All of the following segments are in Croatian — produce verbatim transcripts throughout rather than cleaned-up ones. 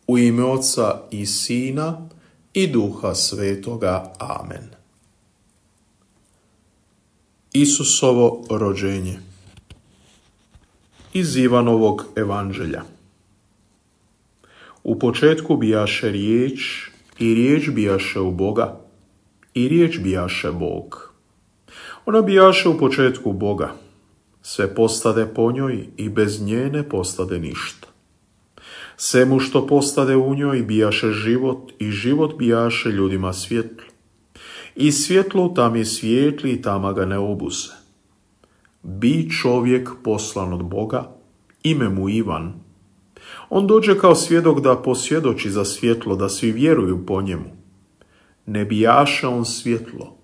U ime Oca i Sina i Duha Svetoga. Amen. Isusovo rođenje. Iz Ivanovog evanđelja. U početku bijaše riječ, i riječ bijaše u Boga, i riječ bijaše Bog. Ona bijaše u početku Boga. Sve postade po njoj i bez nje ne postade ništa. Svemu što postade u njoj bijaše život i život bijaše ljudima svjetlo. I svjetlo tam je svijetli i tama ga ne obuze. Bi čovjek poslan od Boga, ime mu Ivan. On dođe kao svjedok da posvjedoči za svjetlo, da svi vjeruju po njemu. Ne bijaše on svjetlo,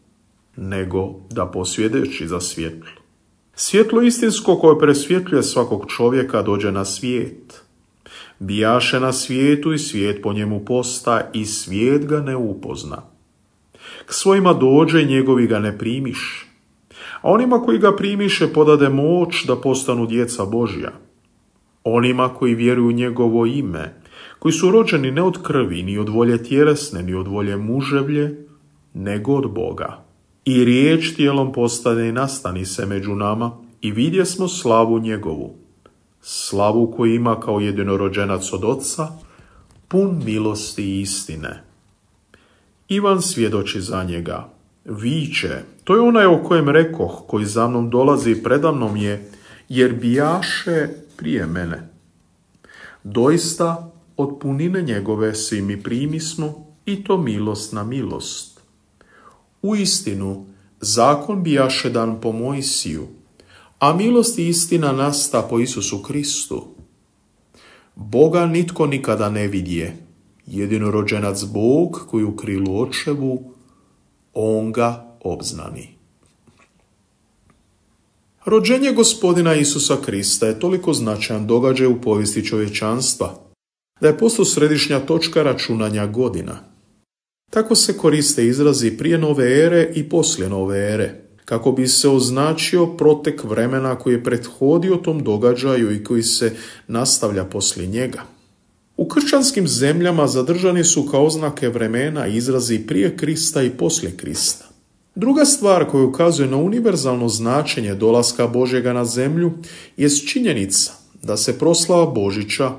nego da posvjedoči za svjetlo. Svjetlo istinsko koje presvjetljuje svakog čovjeka dođe na svijet. Bijaše na svijetu i svijet po njemu posta i svijet ga ne upozna. K svojima dođe i njegovi ga ne primiše. A onima koji ga primiše podade moć da postanu djeca Božja. Onima koji vjeruju u njegovo ime, koji su rođeni ne od krvi, ni od volje tjelesne, ni od volje muževlje, nego od Boga. I riječ tijelom postane i nastani se među nama i vidjesmo slavu njegovu. Slavu koju ima kao jedinorođenac od Oca, pun milosti i istine. Ivan svjedoči za njega. Viče, to je onaj o kojem rekoh, koji za mnom dolazi preda mnom je, jer bijaše prije mene. Doista, od punine njegove svi mi primismo, i to milost na milost. Uistinu, zakon bijaše dan po Mojsiju, a milost i istina nasta po Isusu Kristu. Boga nitko nikada ne vidje, jedinorođenac Bog koji u krilu očevu, on ga obznani. Rođenje Gospodina Isusa Krista je toliko značajan događaj u povijesti čovječanstva, da je postao središnja točka računanja godina. Tako se koriste izrazi prije nove ere i poslije nove ere, kako bi se označio protek vremena koji je prethodio tom događaju i koji se nastavlja poslije njega. U kršćanskim zemljama zadržani su kao oznake vremena izrazi prije Krista i poslije Krista. Druga stvar koja ukazuje na univerzalno značenje dolaska Božjega na zemlju jest činjenica da se proslava Božića,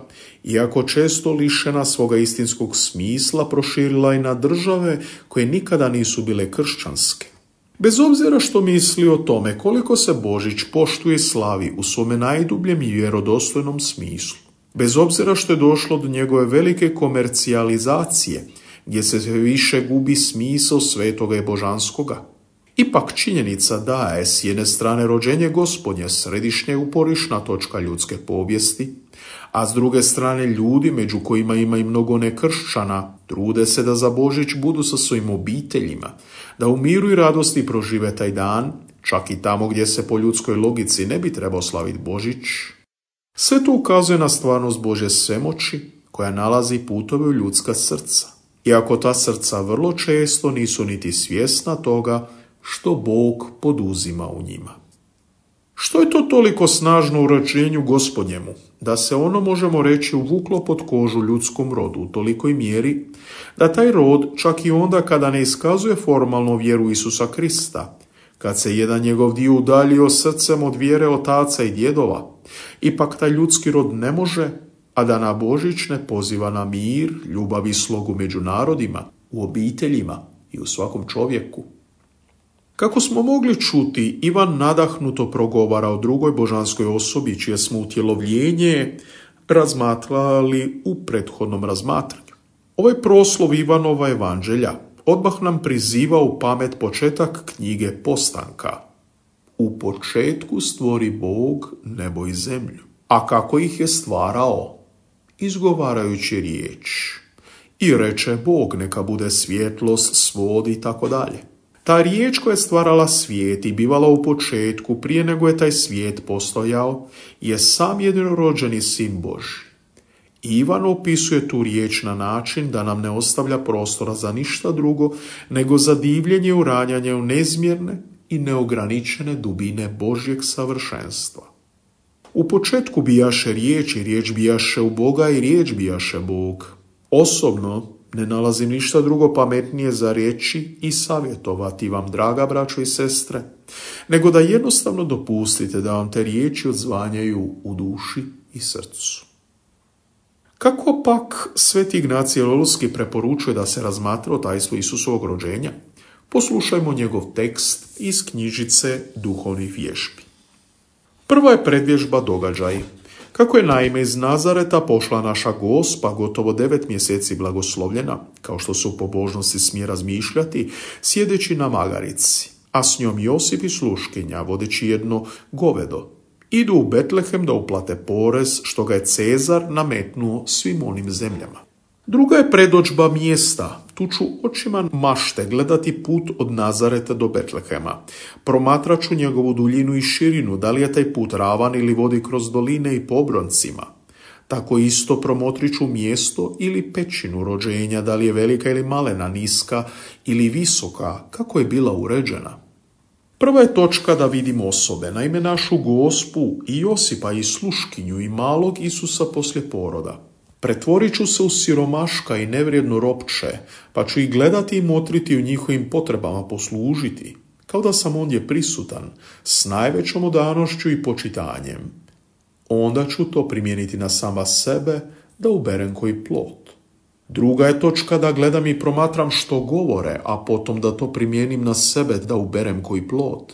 iako često lišena svoga istinskog smisla, proširila i na države koje nikada nisu bile kršćanske. Bez obzira što misli o tome koliko se Božić poštuje i slavi u svome najdubljem i vjerodostojnom smislu, bez obzira što je došlo do njegove velike komercijalizacije, gdje se više gubi smisao svetoga i božanskoga, ipak činjenica da je s jedne strane rođenje Gospodnje središnja uporišna točka ljudske povijesti, a s druge strane ljudi, među kojima ima i mnogo nekršćana, trude se da za Božić budu sa svojim obiteljima, da u miru i radosti prožive taj dan, čak i tamo gdje se po ljudskoj logici ne bi trebao slaviti Božić. Sve to ukazuje na stvarnost Božje svemoći koja nalazi putove u ljudska srca, iako ta srca vrlo često nisu niti svjesna toga što Bog poduzima u njima. Što je to toliko snažno u rođenju Gospodnjemu, da se ono, možemo reći, uvuklo pod kožu ljudskom rodu u tolikoj mjeri, da taj rod, čak i onda kada ne iskazuje formalno vjeru Isusa Krista, kad se jedan njegov dio udaljio srcem od vjere otaca i djedova, ipak taj ljudski rod ne može, a da na Božić ne poziva na mir, ljubav i slogu među narodima, u obiteljima i u svakom čovjeku. Kako smo mogli čuti, Ivan nadahnuto progovara o drugoj božanskoj osobi čije smo utjelovljenje razmatrali u prethodnom razmatranju. Ovaj proslov Ivanova evanđelja odmah nam priziva u pamet početak knjige Postanka. U početku stvori Bog nebo i zemlju. A kako ih je stvarao? Izgovarajući riječ. I reče Bog, neka bude svjetlost, svod i tako dalje. Ta riječ koja je stvarala svijet i bivala u početku, prije nego je taj svijet postojao, je sam jedinorođeni sin Božji. Ivan opisuje tu riječ na način da nam ne ostavlja prostora za ništa drugo, nego za divljenje i uranjanje u nezmjerne i neograničene dubine Božjeg savršenstva. U početku bijaše riječ i riječ bijaše u Boga i riječ bijaše Bog. Osobno ne nalazim ništa drugo pametnije za reći i savjetovati vam, draga braćo i sestre, nego da jednostavno dopustite da vam te riječi odzvanjaju u duši i srcu. Kako pak sveti Ignacij Lolski preporučuje da se razmatra o tajstvu Isusovog rođenja? Poslušajmo njegov tekst iz knjižice Duhovnih vježbi. Prva je predvježba događaj. Kako je naime iz Nazareta pošla naša Gospa, gotovo devet mjeseci blagoslovljena, kao što se u pobožnosti smije razmišljati, sjedeći na magarici, a s njom Josip i sluškinja, vodeći jedno govedo, idu u Betlehem da uplate porez što ga je Cezar nametnuo svim onim zemljama. Druga je predođba mjesta. Tu ću očima mašte gledati put od Nazareta do Betlehema. Promatrat ću njegovu duljinu i širinu, da li je taj put ravan ili vodi kroz doline i po obroncima. Tako isto promotrit ću mjesto ili pećinu rođenja, da li je velika ili malena, niska ili visoka, kako je bila uređena. Prva je točka da vidimo osobe, naime našu Gospu i Josipa i sluškinju i malog Isusa poslije poroda. Pretvorit ću se u siromaška i nevrijedno ropče, pa ću ih gledati i motriti u njihovim potrebama poslužiti, kao da sam ondje prisutan, s najvećom odanošću i počitanjem. Onda ću to primijeniti na sama sebe, da uberem koji plod. Druga je točka da gledam i promatram što govore, a potom da to primijenim na sebe, da uberem koji plod.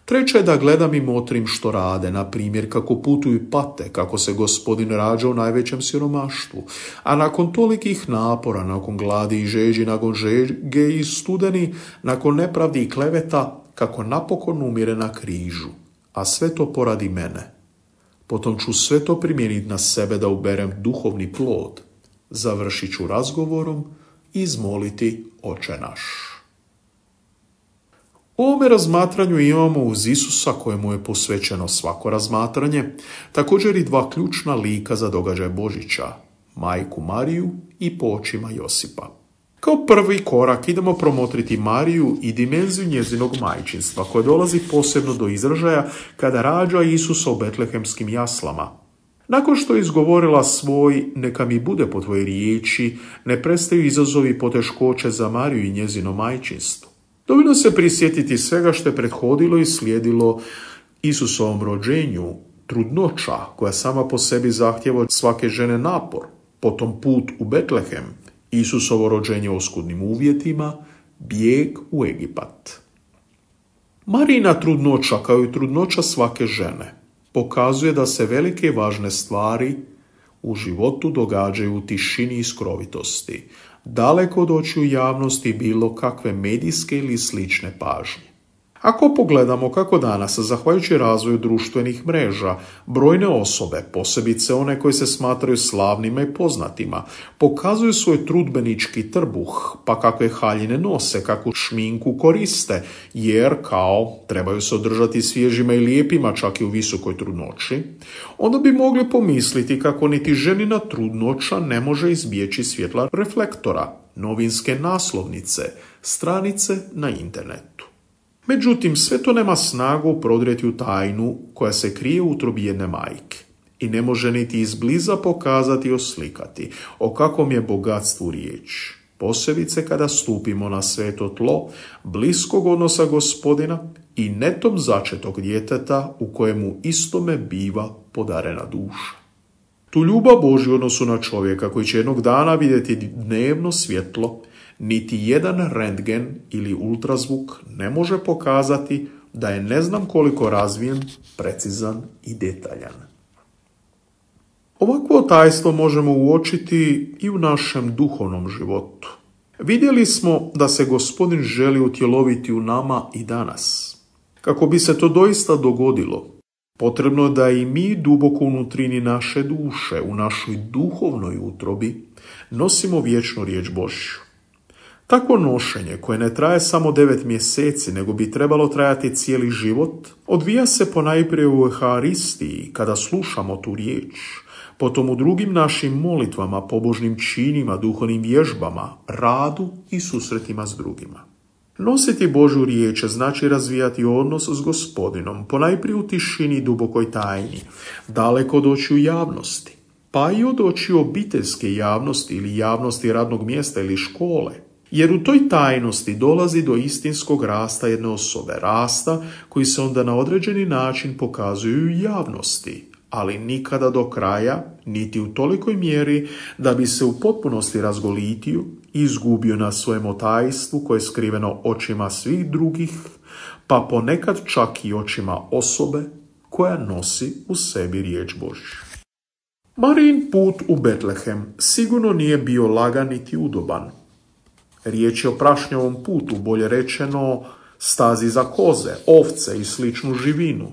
Treća je da gledam i motrim što rade, na primjer kako putuju i pate, kako se Gospodin rađa u najvećem siromaštvu, a nakon tolikih napora, nakon gladi i žeđi, nakon žege i studeni, nakon nepravdi i kleveta, kako napokon umire na križu, a sve to poradi mene. Potom ću sve to primijeniti na sebe da uberem duhovni plod. Završit ću razgovorom i izmoliti Oče naš. U ovome razmatranju imamo uz Isusa, kojemu je posvećeno svako razmatranje, također i dva ključna lika za događaj Božića, majku Mariju i po očima Josipa. Kao prvi korak idemo promotriti Mariju i dimenziju njezinog majčinstva, koje dolazi posebno do izražaja kada rađa Isusa u betlehemskim jaslama. Nakon što je izgovorila svoj "neka mi bude po tvojoj riječi", ne prestaju izazovi i poteškoće za Mariju i njezino majčinstvo. Dovoljno se prisjetiti svega što je prethodilo i slijedilo Isusovom rođenju, trudnoća koja sama po sebi zahtjeva od svake žene napor, potom put u Betlehem, Isusovo rođenje u oskudnim uvjetima, bijeg u Egipat. Marijina trudnoća, kao i trudnoća svake žene, pokazuje da se velike i važne stvari u životu događaju u tišini i skrovitosti, daleko od očiju javnosti bilo kakve medijske ili slične pažnje. Ako pogledamo kako danas, zahvaljujući razvoju društvenih mreža, brojne osobe, posebice one koje se smatraju slavnima i poznatima, pokazuju svoj trudbenički trbuh, pa kakve haljine nose, kakvu šminku koriste, jer kao trebaju se održati svježima i lijepima čak i u visokoj trudnoći, onda bi mogli pomisliti kako niti ženina trudnoća ne može izbjeći svjetla reflektora, novinske naslovnice, stranice na internetu. Međutim, sve to nema snagu prodrijeti u tajnu koja se krije u utrobi jedne majke i ne može niti izbliza pokazati i oslikati o kakvom je bogatstvu riječ, posebice kada stupimo na sveto tlo bliskog odnosa Gospodina i netom začetog djeteta u kojemu istome biva podarena duša. Tu ljubav Božju u odnosu na čovjeka koji će jednog dana vidjeti dnevno svjetlo, niti jedan rentgen ili ultrazvuk ne može pokazati da je ne znam koliko razvijen, precizan i detaljan. Ovakvo tajstvo možemo uočiti i u našem duhovnom životu. Vidjeli smo da se Gospodin želi utjeloviti u nama i danas. Kako bi se to doista dogodilo, potrebno da i mi duboko unutrini naše duše, u našoj duhovnoj utrobi, nosimo vječnu riječ Božju. Takvo nošenje, koje ne traje samo devet mjeseci, nego bi trebalo trajati cijeli život, odvija se ponajprije u Euharistiji, kada slušamo tu riječ, potom u drugim našim molitvama, pobožnim činima, duhovnim vježbama, radu i susretima s drugima. Nositi Božju riječ znači razvijati odnos s Gospodinom, ponajprije u tišini i dubokoj tajni, daleko od očiju javnosti, pa i od očiju obiteljske javnosti ili javnosti radnog mjesta ili škole. Jer u toj tajnosti dolazi do istinskog rasta jedne osobe, rasta koji se onda na određeni način pokazuju u javnosti, ali nikada do kraja, niti u tolikoj mjeri da bi se u potpunosti razgolitio i izgubio na svojem otajstvu koje je skriveno očima svih drugih, pa ponekad čak i očima osobe koja nosi u sebi riječ Božju. Marijin put u Betlehem sigurno nije bio lagan niti udoban. Riječ je o prašnjavom putu, bolje rečeno stazi za koze, ovce i sličnu živinu.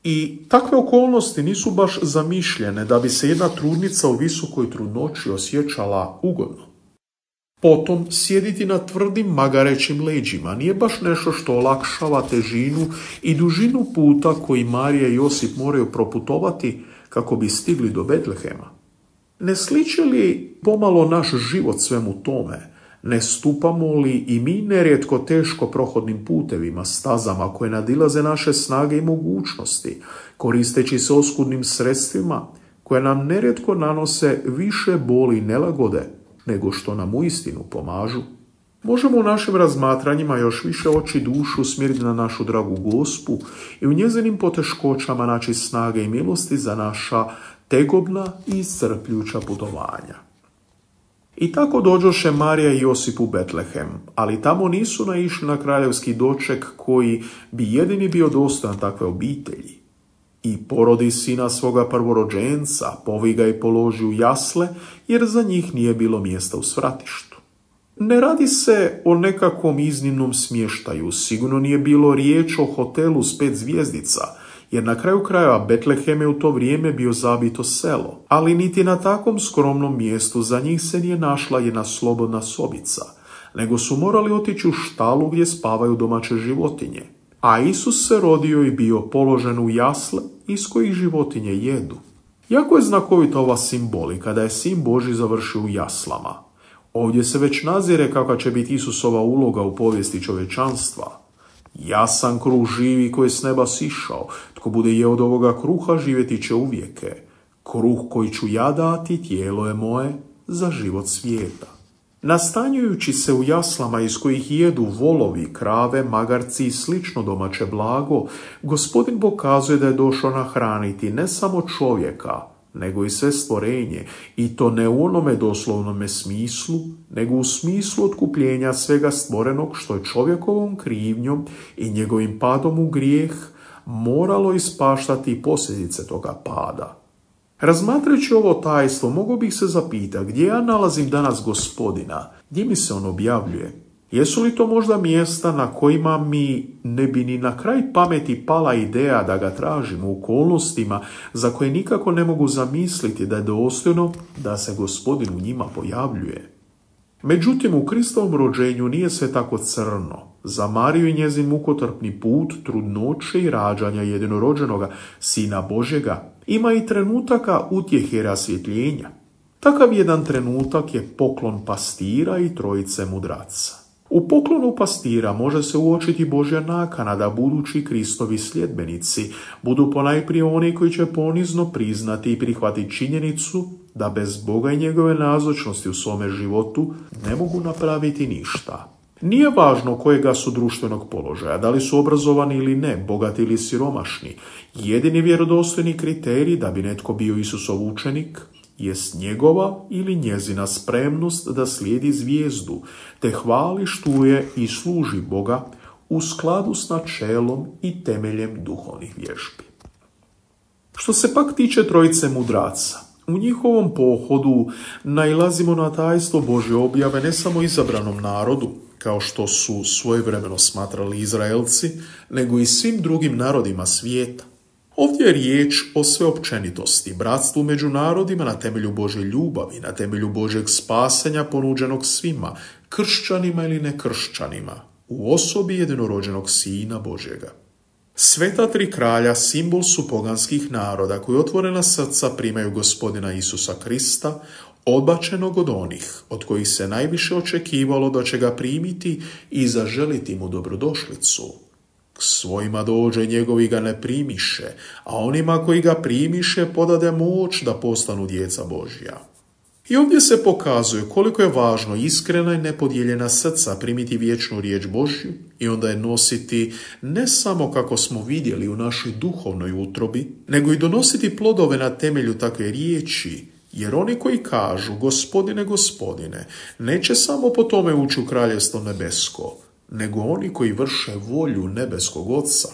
I takve okolnosti nisu baš zamišljene da bi se jedna trudnica u visokoj trudnoći osjećala ugodno. Potom, sjediti na tvrdim magarećim leđima nije baš nešto što olakšava težinu i dužinu puta koji Marija i Josip moraju proputovati kako bi stigli do Betlehema. Ne sliči li pomalo naš život svemu tome? Ne stupamo li i mi nerijetko teško prohodnim putevima, stazama koje nadilaze naše snage i mogućnosti, koristeći se oskudnim sredstvima koje nam nerijetko nanose više boli i nelagode nego što nam uistinu pomažu? Možemo u našim razmatranjima još više oči dušu usmjeriti na našu dragu Gospu i u njezinim poteškoćama naći snage i milosti za naša tegobna i iscrpljuća putovanja. I tako dođoše Marija i Josip u Betlehem, ali tamo nisu naišli na kraljevski doček koji bi jedini bio dostojan takve obitelji. I porodi sina svoga prvorođenca, povi ga i položi u jasle, jer za njih nije bilo mjesta u svratištu. Ne radi se o nekakvom iznimnom smještaju, sigurno nije bilo riječ o hotelu s pet zvjezdica, jer na kraju krajeva Betlehem je u to vrijeme bio zabito selo, ali niti na takvom skromnom mjestu za njih se nije našla jedna slobodna sobica, nego su morali otići u štalu gdje spavaju domaće životinje. A Isus se rodio i bio položen u jasle iz kojih životinje jedu. Jako je znakovita ova simbolika da je Sin Božji završio u jaslama. Ovdje se već nazire kakva će biti Isusova uloga u povijesti čovječanstva. Ja sam kruh živi koji je s neba sišao. Tko bude jeo od ovoga kruha, živjeti će uvijeke. Kruh koji ću ja dati, tijelo je moje za život svijeta. Nastanjujući se u jaslama iz kojih jedu volovi, krave, magarci i slično domaće blago, Gospodin pokazuje da je došao nahraniti ne samo čovjeka, nego i sve stvorenje, i to ne u onome doslovnome smislu, nego u smislu otkupljenja svega stvorenog što je čovjekovom krivnjom i njegovim padom u grijeh moralo ispaštati posljedice toga pada. Razmatrajući ovo tajstvo, mogao bih se zapitati gdje ja nalazim danas Gospodina, gdje mi se on objavljuje. Jesu li to možda mjesta na kojima mi ne bi ni na kraj pameti pala ideja da ga tražimo u okolnostima za koje nikako ne mogu zamisliti da je dostojno da se Gospodin u njima pojavljuje? Međutim, u Kristovom rođenju nije sve tako crno. Za Mariju i njezin mukotrpni put, trudnoće i rađanja jedinorođenoga Sina Božjega ima i trenutaka utjehe i rasvjetljenja. Takav jedan trenutak je poklon pastira i trojice mudraca. U poklonu pastira može se uočiti Božja nakana da budući Kristovi sljedbenici budu ponajprije oni koji će ponizno priznati i prihvatiti činjenicu da bez Boga i njegove nazočnosti u svome životu ne mogu napraviti ništa. Nije važno kojega su društvenog položaja, da li su obrazovani ili ne, bogati ili siromašni. Jedini vjerodostojni kriterij da bi netko bio Isusov učenik jest njegova ili njezina spremnost da slijedi zvijezdu, te hvali, štuje i služi Boga u skladu s načelom i temeljem duhovnih vježbi. Što se pak tiče trojice mudraca, u njihovom pohodu nailazimo na tajstvo Božje objave ne samo izabranom narodu, kao što su svojevremeno smatrali Izraelci, nego i svim drugim narodima svijeta. Ovdje je riječ o sveopćenitosti, bratstvu među narodima na temelju Božje ljubavi, na temelju Božjeg spasenja ponuđenog svima, kršćanima ili nekršćanima, u osobi jedinorođenog Sina Božjega. Sveta tri kralja simbol su poganskih naroda koji otvorena srca primaju Gospodina Isusa Krista, odbačenog od onih od kojih se najviše očekivalo da će ga primiti i zaželiti mu dobrodošlicu. K svojima dođe, njegovi ga ne primiše, a onima koji ga primiše podade moć da postanu djeca Božja. I ovdje se pokazuje koliko je važno iskrena i nepodijeljena srca primiti vječnu riječ Božju i onda je nositi ne samo kako smo vidjeli u našoj duhovnoj utrobi, nego i donositi plodove na temelju takve riječi, jer oni koji kažu Gospodine, Gospodine, neće samo po tome ući u kraljevstvo nebesko, nego oni koji vrše volju nebeskog Oca.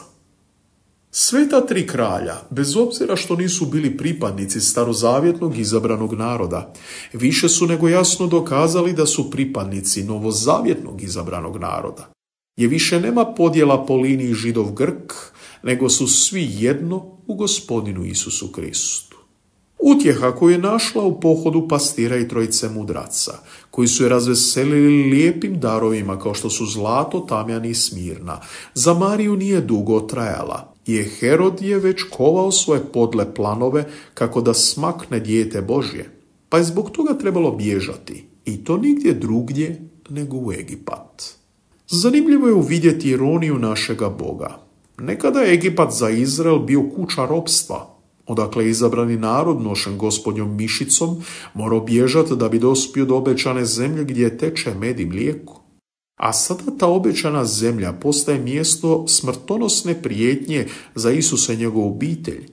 Sveta tri kralja, bez obzira što nisu bili pripadnici starozavjetnog izabranog naroda, više su nego jasno dokazali da su pripadnici novozavjetnog izabranog naroda. Je više nema podjela po liniji Židov-Grk, nego su svi jedno u Gospodinu Isusu Kristu. Utjeha koju je našla u pohodu pastira i trojice mudraca, koji su je razveselili lijepim darovima kao što su zlato, tamjan i smirna, za Mariju nije dugo trajala, jer Herod je već kovao svoje podle planove kako da smakne dijete Božje, pa je zbog toga trebalo bježati, i to nigdje drugdje nego u Egipat. Zanimljivo je uvidjeti ironiju našega Boga. Nekada je Egipat za Izrael bio kuća ropstva, odakle je izabrani narod nošen gospodnjom mišicom morao bježati da bi dospio do obećane zemlje gdje teče med i mlijeko. A sada ta obećana zemlja postaje mjesto smrtonosne prijetnje za Isusa i njegovu obitelj,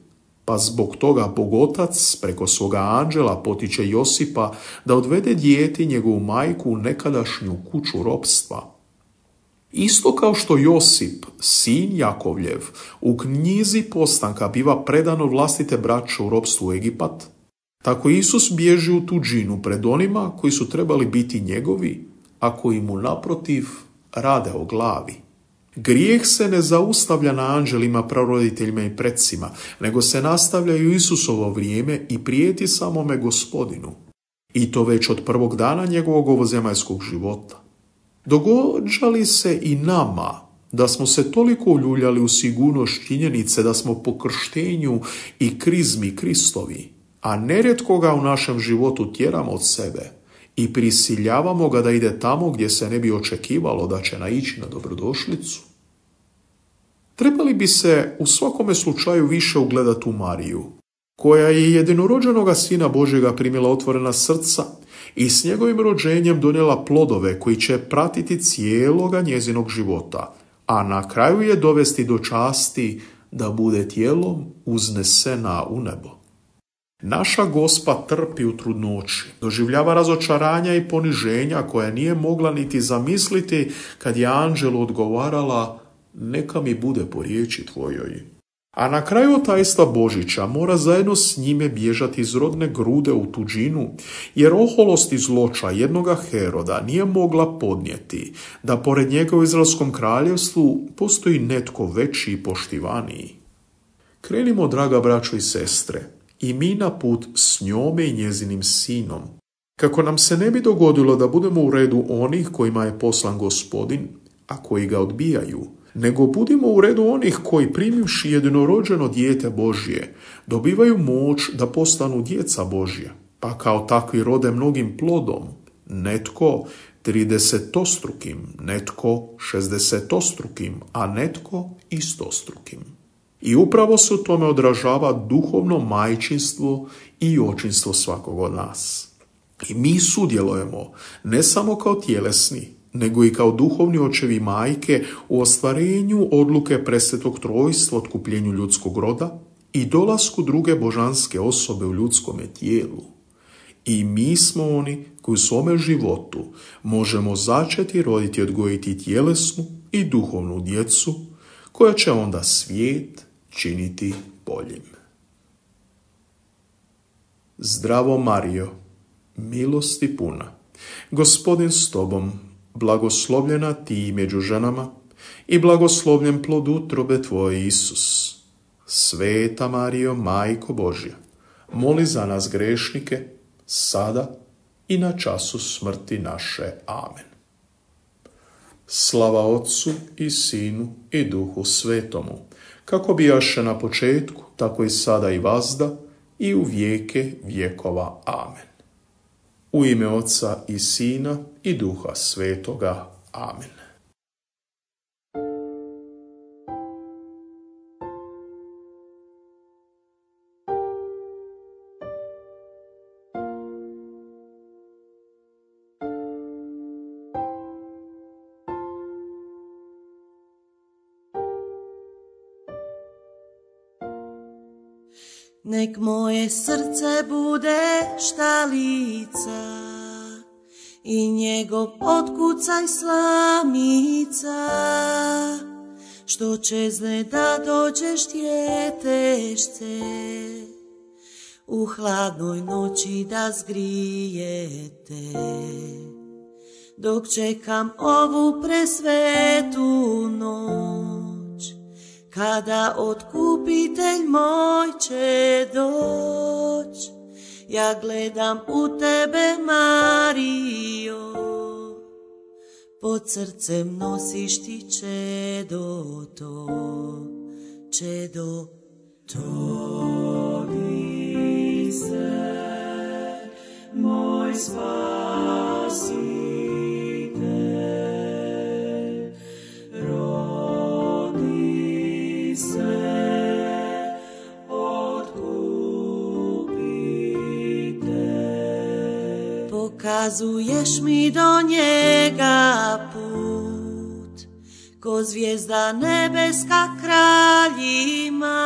pa zbog toga Bog Otac preko svoga anđela potiče Josipa da odvede dijete i njegovu majku u nekadašnju kuću ropstva. Isto kao što Josip, sin Jakovljev, u knjizi postanka biva predan od vlastite braće u ropstvu u Egipat, tako Isus bježi u tuđinu pred onima koji su trebali biti njegovi, a koji mu naprotiv rade o glavi. Grijeh se ne zaustavlja na anđelima, praroditeljima i precima, nego se nastavlja i u Isusovo vrijeme i prijeti samome Gospodinu. I to već od prvog dana njegovog ovozemaljskog života. Događa li se i nama da smo se toliko uljuljali u sigurnost činjenice da smo po krštenju i krizmi Kristovi, a nerijetko ga u našem životu tjeramo od sebe i prisiljavamo ga da ide tamo gdje se ne bi očekivalo da će naići na dobrodošlicu? Trebali bi se u svakome slučaju više ugledati u Mariju, koja je jedinorođenoga Sina Božjega primila otvorena srca i s njegovim rođenjem donijela plodove koji će pratiti cijeloga njezinog života, a na kraju je dovesti do časti da bude tijelom uznesena u nebo. Naša Gospa trpi u trudnoći, doživljava razočaranja i poniženja koja nije mogla niti zamisliti kad je anđelu odgovarala: neka mi bude po riječi tvojoj. A na kraju tajstva Božića mora zajedno s njime bježati iz rodne grude u tuđinu, jer oholost i zloća jednoga Heroda nije mogla podnijeti da pored njega u Izraelskom kraljevstvu postoji netko veći i poštivaniji. Krenimo, draga braćo i sestre, i mi na put s njome i njezinim sinom, kako nam se ne bi dogodilo da budemo u redu onih kojima je poslan Gospodin, a koji ga odbijaju, nego budimo u redu onih koji, primivši jedinorođeno dijete Božje, dobivaju moć da postanu djeca Božja, pa kao takvi rode mnogim plodom, netko tridesetostrukim, netko šezdesetostrukim, a netko istostrukim. I upravo se u tome odražava duhovno majčinstvo i očinstvo svakog od nas. I mi sudjelujemo ne samo kao tjelesni, nego i kao duhovni očevi i majke u ostvarenju odluke presvetog trojstva, otkupljenju ljudskog roda i dolasku druge božanske osobe u ljudskome tijelu. I mi smo oni koji u svome životu možemo začeti roditi i odgojiti tjelesnu i duhovnu djecu, koja će onda svijet činiti boljim. Zdravo Marijo, milosti puna, Gospodin s tobom, blagoslovljena ti među ženama i blagoslovljen plod utrobe tvoje, Isus. Sveta Marijo, Majko Božja, moli za nas grešnike, sada i na času smrti naše. Amen. Slava Otcu i Sinu i Duhu Svetomu, kako bijaše na početku, tako i sada i vazda i u vijeke vjekova. Amen. U ime Otca i Sina i Duha Svetoga. Amen. Nek moje srce bude štalica i njegov otkucaj slamica, što čezne da dođeš djetešce, u hladnoj noći da zgrijete. Dok čekam ovu presvetu noć, kada otkupitelj moj će doć, ja gledam u tebe, Marijo, pod srcem nosiš ti čedo to, čedo to. Rodi se, moj spasitelj, rodi se, pokazuješ mi do njega put, ko zvijezda nebeska kraljima,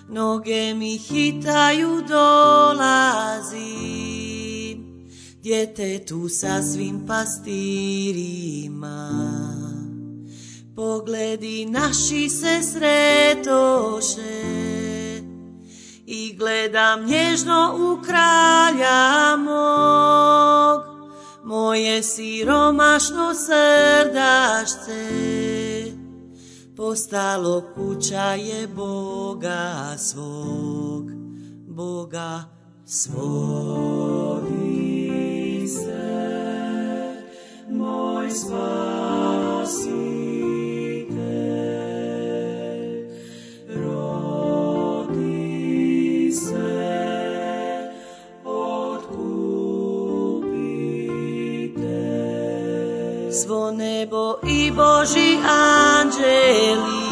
noge mi hitaju, dolazim, djetetu sa svim pastirima. Pogledi naši se sretoše i gledam nježno u kralja mog, moje siromašno srdašce postalo kuća je Boga svog, Boga svog. Rodi se, moj spasitelj, svo nebo i Boží anđeli,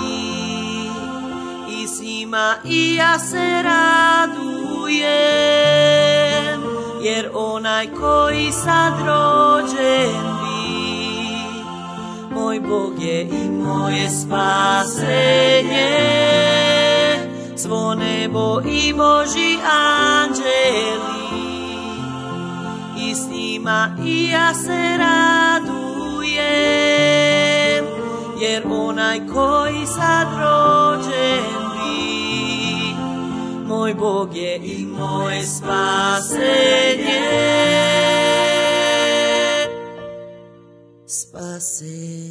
i s njima i ja se radujem, jer onaj koji sad rođen bi, moj Bog je i moje spasenje. Svo nebo i Boží anđeli, i s njima i ja se radujem, jer onaj koji sad rođen bi, moj Bog je i moje spasenje. Spasenje.